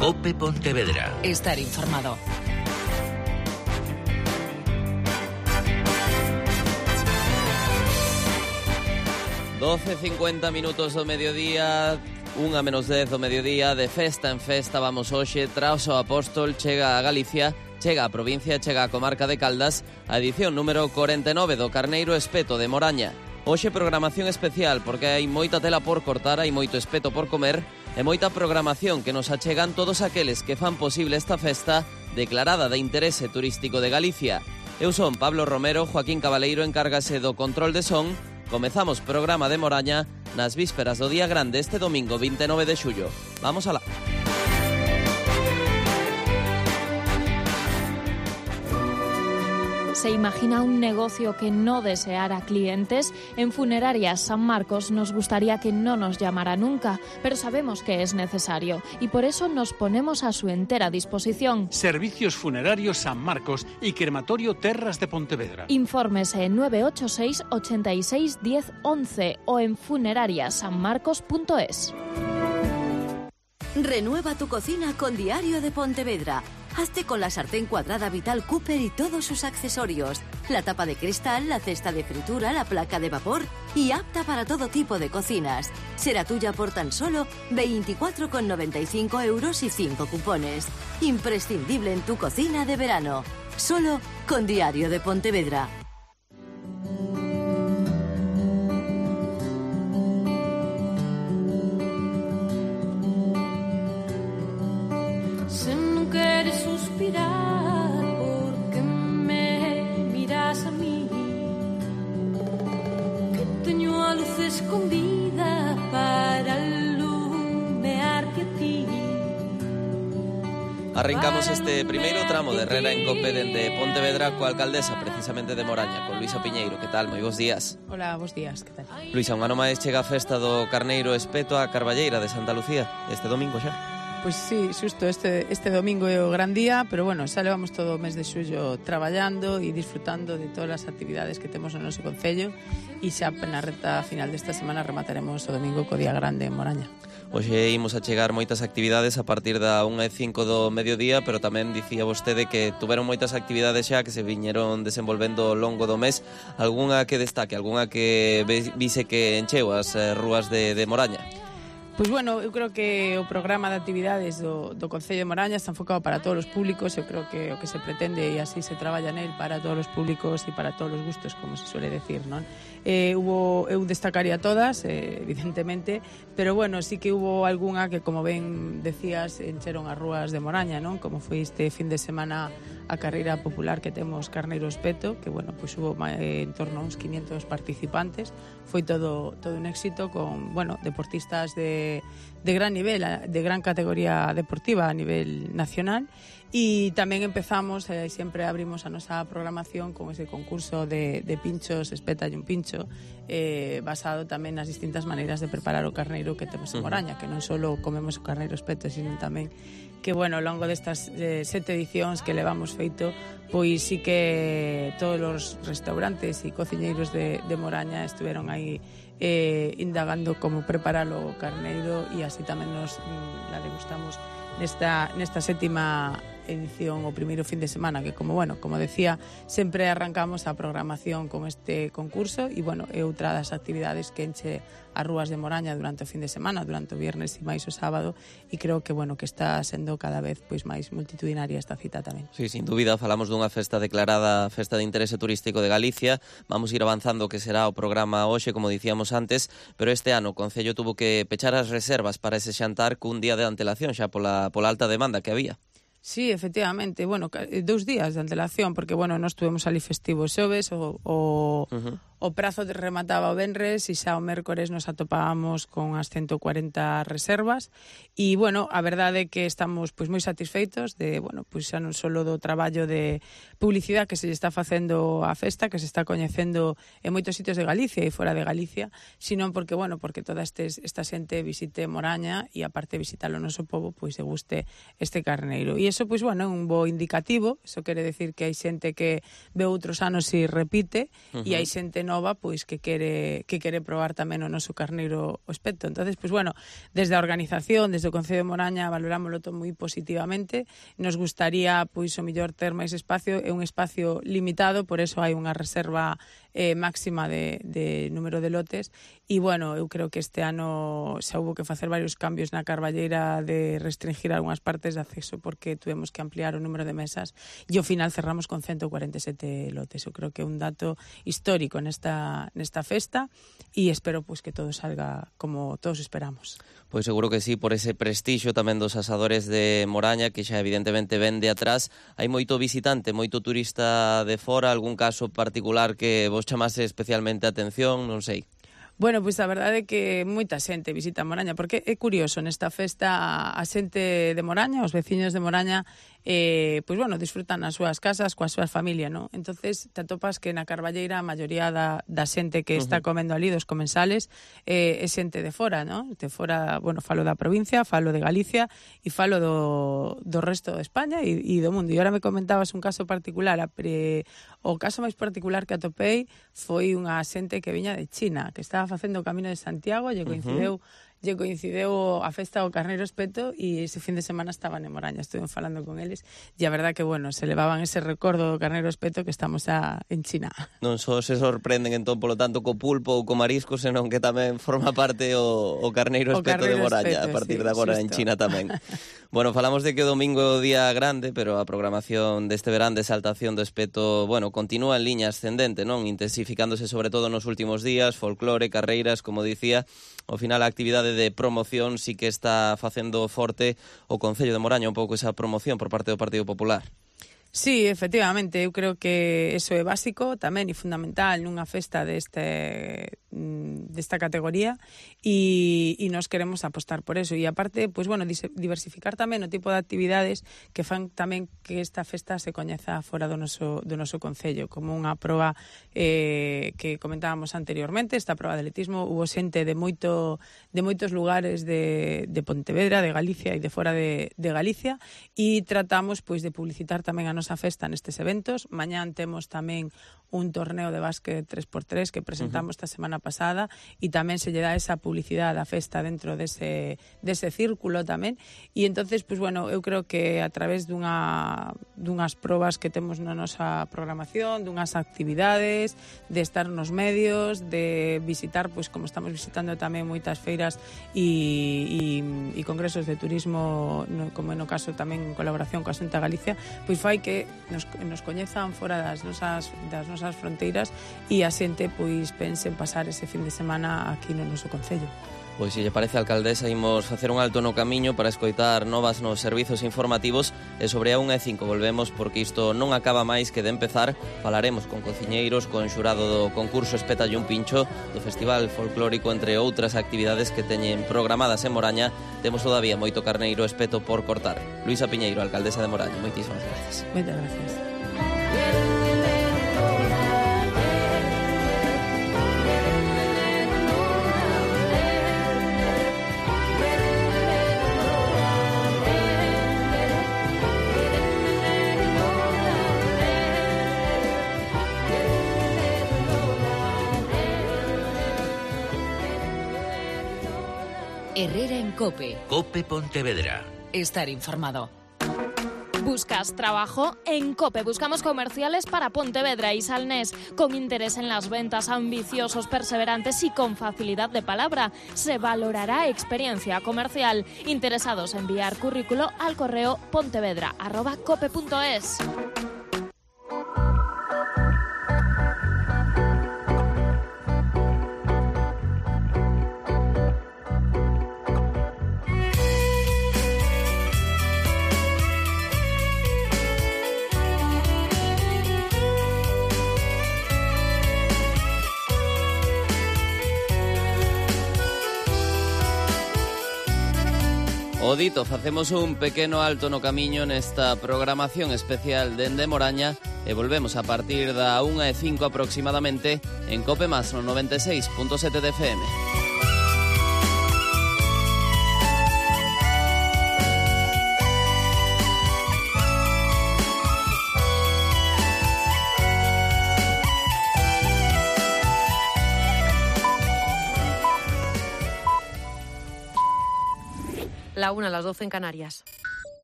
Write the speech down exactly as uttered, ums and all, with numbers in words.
COPE Pontevedra. Estar informado. doce cincuenta minutos do mediodía, unha menos dez do mediodía, de festa en festa vamos hoxe, tras o Apóstol chega a Galicia, chega a provincia, chega a comarca de Caldas, a edición número corenta e nove do Carneiro Espeto de Moraña. Hoxe programación especial porque hai moita tela por cortar, hai moito espeto por comer e moita programación que nos achegan todos aqueles que fan posible esta festa declarada de interese turístico de Galicia. Eu son Pablo Romero, Joaquín Cabaleiro encárgase do control de son. Comezamos programa de Moraña nas vísperas do Día Grande este domingo vinte e nove de xullo. Vamos alá. ¿Se imagina un negocio que no deseara clientes? En Funerarias San Marcos nos gustaría que no nos llamara nunca, pero sabemos que es necesario y por eso nos ponemos a su entera disposición. Servicios Funerarios San Marcos y Crematorio Terras de Pontevedra. Infórmese en nueve ocho seis, ochenta y seis, diez, once o en funerarias san marcos punto es. Renueva tu cocina con Diario de Pontevedra. Hazte con la sartén cuadrada Vital Cooper y todos sus accesorios. La tapa de cristal, la cesta de fritura, la placa de vapor y apta para todo tipo de cocinas. Será tuya por tan solo veinticuatro con noventa y cinco euros y cinco cupones. Imprescindible en tu cocina de verano. Solo con Diario de Pontevedra. Porque me miras a mí, que teño a luz escondida para alumearte a ti. Arrancamos este primeiro tramo de Herrera en Cope dende Pontevedra coa alcaldesa precisamente de Moraña, con Luisa Piñeiro. Que tal? Moi bons días. Hola, bons días, que tal? Luisa, un ano máis chega a festa do Carneiro Espeto a Carballeira de Santa Lucía, este domingo xa. Pois sí, xusto este, este domingo é o gran día, pero bueno, xa levamos todo o mes de xullo traballando e disfrutando de todas as actividades que temos no noso concello e xa na reta final desta semana remataremos o domingo co Día Grande en Moraña. Hoxe imos a chegar moitas actividades a partir da unha e cinco do mediodía, pero tamén dicía vostede que tuveron moitas actividades xa que se viñeron desenvolvendo ao longo do mes. Algúnha que destaque, algúnha que vise que encheu as rúas de, de Moraña? Pois bueno, eu creo que o programa de actividades do, do Concello de Moraña está enfocado para todos os públicos. Eu creo que o que se pretende e así se traballa nel para todos os públicos e para todos os gustos, como se suele decir, non? Eh, hubo, eu destacaría todas, eh, evidentemente, pero bueno, sí que hubo algunha que, como ben decías, encheron as rúas de Moraña, non? Como foi este fin de semana a carreira popular que temos Carneiro Espeto, que bueno, pois hubo eh, en torno a uns quinientos participantes. Foi todo todo un éxito con, bueno, deportistas de de gran nivel, de gran categoría deportiva a nivel nacional. E tamén empezamos, eh, sempre abrimos a nosa programación con ese concurso de, de pinchos, espétalle un pincho, eh, basado tamén nas distintas maneiras de preparar o carneiro que temos en Moraña, que non só comemos o carneiro espeto, sino tamén que, bueno, ao longo destas eh, sete edicións que levamos feito, pois sí que todos os restaurantes e cociñeiros de, de Moraña estiveron aí eh, indagando como preparar o carneiro e así tamén nos mm, la degustamos nesta, nesta sétima edición o primeiro fin de semana, que como, bueno, como decía, sempre arrancamos a programación con este concurso e, bueno, é outra das actividades que enche as rúas de Moraña durante o fin de semana, durante o viernes e máis o sábado, e creo que, bueno, que está sendo cada vez pois máis multitudinaria esta cita tamén. Sí, sin dúbida, falamos dunha festa declarada festa de interese turístico de Galicia. Vamos ir avanzando que será o programa hoxe, como dicíamos antes, pero este ano o Concello tuvo que pechar as reservas para ese xantar cun día de antelación xa pola, pola alta demanda que había. Sí, efectivamente, bueno, dous días de antelación, porque, bueno, nós tuvemos ali festivo xoves, o, o, uh-huh. o prazo remataba o venres e xa o mércores nos atopábamos con as ciento cuarenta reservas e, bueno, a verdade é que estamos pois moi satisfeitos de, bueno, pois xa non só do traballo de publicidade que se está facendo a festa, que se está coñecendo en moitos sitios de Galicia e fora de Galicia, sino porque, bueno, porque toda estes, esta xente visite Moraña e aparte visitar o noso pobo, pois se guste este carneiro. E iso, pois, bueno, é un bo indicativo. Iso quere decir que hai xente que ve outros anos e repite, uh-huh. e hai xente nova nova pois que quere que quere probar tamén o noso carneiro o espeto. Entonces, pois bueno, desde a organización, desde o Concello de Moraña valorámoslo todo moi positivamente. Nos gustaría pois o mellor ter máis espacio, é un espacio limitado, por eso hai unha reserva eh, máxima de, de número de lotes e bueno, eu creo que este ano xa hubo que facer varios cambios na Carballeira de restringir algunhas partes de acceso porque tuvemos que ampliar o número de mesas e ao final cerramos con ciento cuarenta e sete lotes. Eu creo que é un dato histórico nesta, nesta festa e espero pois que todo salga como todos esperamos. Pois seguro que sí, por ese prestixio tamén dos asadores de Moraña, que xa evidentemente ven de atrás. Hai moito visitante, moito turista de fora, algún caso particular que vos chamase especialmente a atención, non sei. Bueno, pois a verdade é que moita xente visita Moraña, porque é curioso, nesta festa a xente de Moraña, os veciños de Moraña, eh, pois bueno, disfrutan nas súas casas, coa súa familia, non? Entonces te atopas que na Carballeira a maioría da, da xente que está comendo ali, dos comensales, eh, é xente de fora, non? De fora, bueno, falo da provincia, falo de Galicia e falo do, do resto de España e, e do mundo. E ahora me comentabas un caso particular, a pre... o caso máis particular que atopei foi unha xente que viña de China, que estaba facendo o Camino de Santiago, lle coincideu uh-huh. lle coincideu a festa do Carneiro Espeto e ese fin de semana estaban en Moraña, estuve falando con eles e a verdad que, bueno, se levaban ese recordo do Carneiro Espeto que estamos a, en China. Non só se sorprenden entón polo tanto co pulpo ou co marisco, senón que tamén forma parte o, o Carneiro Espeto o Carneiro de Moraña, espeto, a partir sí, de agora xusto. En China tamén. Bueno, falamos de que o domingo é o día grande, pero a programación deste verán de exaltación do espeto, bueno, continúa en liña ascendente, non? Intensificándose sobre todo nos últimos días, folclore, carreiras, como dicía. Ao final a actividade de promoción sí que está facendo forte o Concello de Moraña un pouco esa promoción por parte do Partido Popular. Sí, efectivamente, eu creo que eso é básico tamén e fundamental nunha festa deste desta categoría e, e nos queremos apostar por eso. E aparte, pois bueno, diversificar tamén o tipo de actividades que fan tamén que esta festa se coñeza fora do noso, do noso concello, como unha proba eh, que comentábamos anteriormente, esta proba de atletismo, hubo xente de moito de moitos lugares de, de Pontevedra, de Galicia e de fora de, de Galicia e tratamos pois de publicitar tamén a nosa festa nestes eventos. Mañán temos tamén un torneo de básquet tres por tres que presentamos uh-huh. esta semana pasada e tamén se lle dá esa publicidade á festa dentro dese, dese círculo tamén e entonces, pois bueno, eu creo que a través dunha, dunhas probas que temos na nosa programación, dunhas actividades, de estar nos medios, de visitar, pois como estamos visitando tamén moitas feiras e, e, e congresos de turismo, no, como no caso tamén en colaboración coa Xunta de Galicia, pois fai que nos, nos coñezan fora das nosas, das nosas fronteiras e a xente pois pense en pasar ese fin de semana aquí no noso concello. Pois se lle parece, alcaldesa, imos facer un alto no camiño para escoitar novas nos servizos informativos e sobre a unha e cinco volvemos porque isto non acaba máis que de empezar. Falaremos con cociñeiros, con xurado do concurso Espétalle un pincho, do Festival Folclórico, entre outras actividades que teñen programadas en Moraña. Temos todavía moito carneiro espeto por cortar. Luisa Piñeiro, alcaldesa de Moraña, moitísimas gracias. Moitas gracias. Herrera en Cope. Cope Pontevedra. Estar informado. ¿Buscas trabajo? En COPE buscamos comerciales para Pontevedra y Salnés, con interés en las ventas, ambiciosos, perseverantes y con facilidad de palabra. Se valorará experiencia comercial. Interesados, enviar currículo al correo pontevedra arroba cope punto es. O dito, facemos un pequeno alto no camiño nesta programación especial dende Moraña e volvemos a partir da unha e cinco aproximadamente en Cope Más no noventa e seis punto sete de F M. la una, a las doce en Canarias.